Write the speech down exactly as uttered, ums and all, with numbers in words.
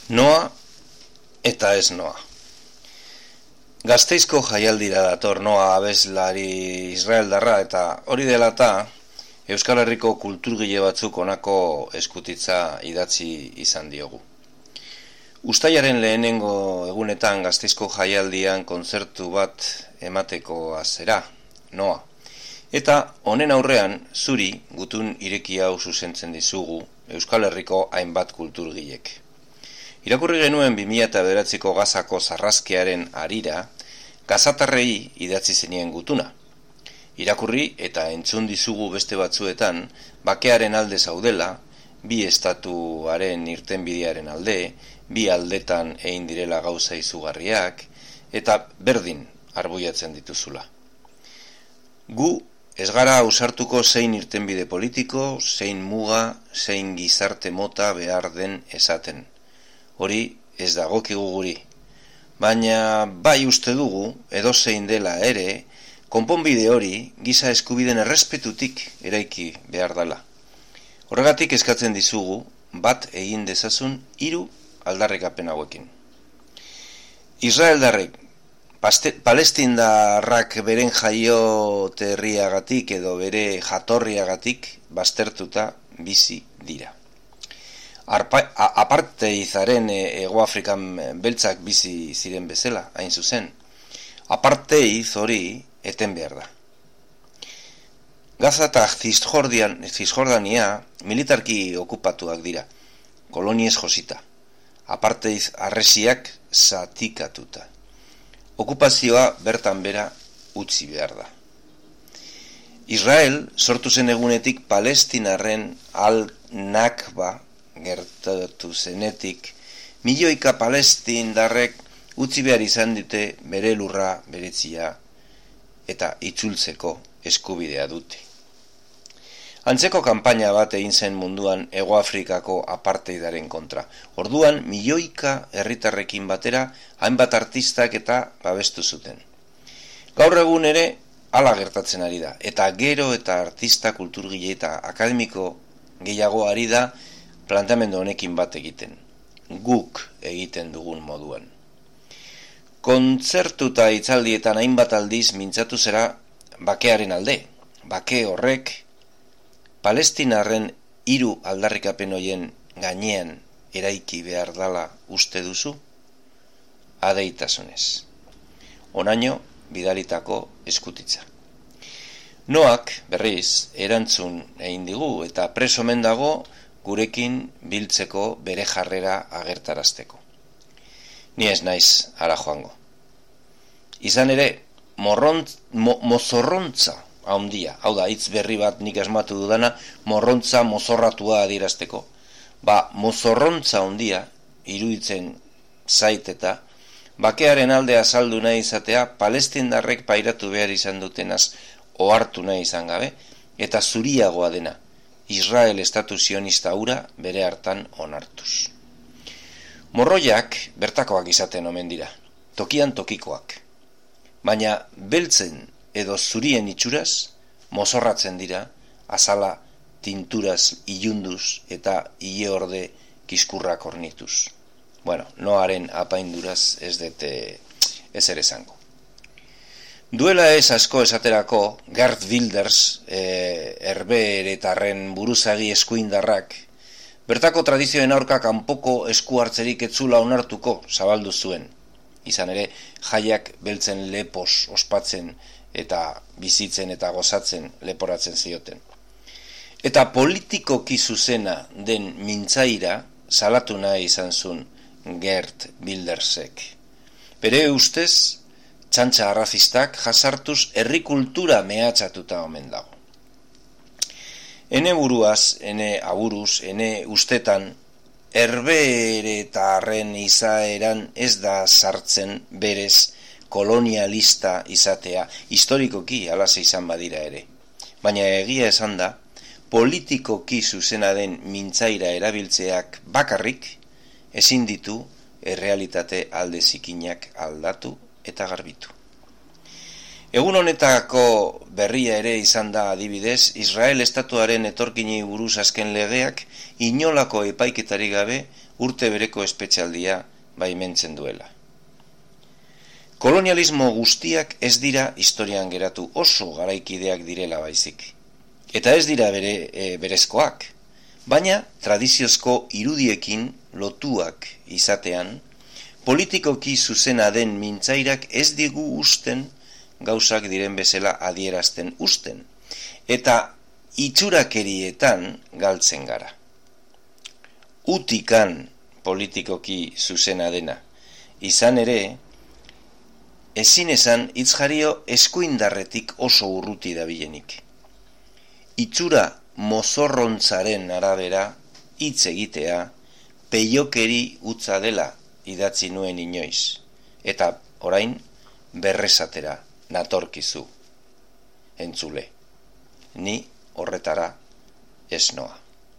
Noa eta ez noa. Gasteizko jaialdira dator Noa abeslari israeldarra, eta hori dela eta Euskal Herriko kulturgile batzuk honako eskutitza idatzi izan diogu. Uztailaren lehenengo egunetan Gasteizko jaialdian kontzertu bat emateko azera, Noa. Eta honen aurrean zuri gutun ireki hau zuzentzen dizugu Euskal Herriko hainbat kulturgilek. Irakurri genuen bi mila bederatziko Gazako sarrazkearen harira, gazatarrei idatzi zenien gutuna. Irakurri eta entzun dizugu beste batzuetan, bakearen alde zaudela, bi estatuaren irtenbidearen alde, bi aldetan egin direla gauza izugarriak, eta berdin arbuiatzen dituzula. Gu ez gara ausartuko zein irtenbide politiko, zein muga, zein gizarte mota behar den esaten. Hori ez dagokigu guri, baina bai uste dugu, edozein dela ere, konponbide hori giza eskubideen errespetutik eraiki behar dela. Horregatik eskatzen dizugu, bat egin dezazun hiru aldarrikapen hauekin. Israeldarrek, palestindarrak beren jaioterriagatik edo bere jatorriagatik baztertuta bizi dira. Apartheidaren Hegoafrikan beltzak bizi ziren bezala, hain zuzen. Apartheid hori eten behar da. Gaza eta Cisjordania militarki okupatuak dira, koloniez josita. Apartheid harresiak zatikatuta. Okupazioa bertan bera utzi behar da. Israel sortu zen egunetik palestinarren al-Nakba gertatu zenetik, milioika palestindarrek utzi behar izan dute bere lurra beretzia eta itzultzeko eskubidea dute. Antzeko kanpaina bat egin zen munduan Hegoafrikako apartheidaren kontra. Orduan milioika herritarrekin batera hainbat artistak eta babestu zuten. Gaur egun ere hala gertatzen ari da, eta gero eta artista kulturgile eta akademiko gehiago ari da planteamendu honekin bat egiten, guk egiten dugun moduan. Kontzertu eta hitzaldietan hainbat aldiz mintzatu zera bakearen alde. Bake horrek palestinarren hiru aldarrikapen hoien gainean eraiki behar dala uste duzu? Adeitasunez. Onaino bidalitako eskutitza. Noak, berriz, erantzun egin digu eta preso omen dago gurekin biltzeko bere jarrera agertarazteko. Ni ez naiz ara joango. Izan ere, morrontz, mo, mozorrontza handia, hau da, hitz berri bat nik asmatu dudana, morrontza mozorratua adierazteko. Ba, mozorrontza handia, iruditzen zait eta, bakearen alde azaldu nahi izatea, palestindarrek pairatu behar izan dutenaz ohartu nahi izan gabe, eta zuriagoa dena, Israel estatu sionista hura bere hartan onartuz. Morroiak bertakoak izaten omen dira, tokian tokikoak. Baina beltzen edo zurien itxuraz, mozorratzen dira, azala tinturaz ilunduz eta ile orde kiskurrak ornituz. Bueno, Noaren apainduraz ez dute ezer esango. Duela ez asko esaterako, Geert Wilders, e, herbeeretarren buruzagi eskuindarrak, bertako tradizioen aurka kanpoko esku hartzerik etzula onartuko zabaldu zuen. Izan ere, jaiak beltzen lepos ospatzen eta bizitzen eta gozatzen leporatzen zioten. Eta politikoki zuzena den mintzaira salatu nahi izan zuen Geert Wildersek. Bere ustez, txantxa arrazistak jasartuz herri kultura mehatxatuta omen dago. Ene buruaz, ene aburuz, ene ustetan, herbeeretarren izaeran ez da sartzen berez kolonialista izatea, historikoki alaze izan badira ere. Baina egia esan da, politikoki zuzena den mintzaira erabiltzeak bakarrik, ezin ditu errealitate alde zikinak aldatu eta garbitu. Egun honetako berria ere izan da adibidez, Israel estatuaren etorkinei buruz azken legeak inolako epaiketari gabe urte bereko espetxaldia baimentzen duela. Kolonialismo guztiak ez dira historian geratu, oso garaikideak direla baizik. Eta ez dira bere, e, berezkoak, baina tradiziozko irudiekin lotuak izatean, politikoki zuzena den mintzairak ez digu usten gauzak diren bezala adierazten usten, eta itxurakerietan galtzen gara. Utikan politikoki zuzena dena, izan ere, ezin esan hitzjario eskuindarretik oso urruti dabilenik. Itxura mozorrontzaren arabera hitz egitea peiokeri utza dela idatzi nuen inoiz, eta orain berresatera natorkizu, entzule. Ni horretara ez noa.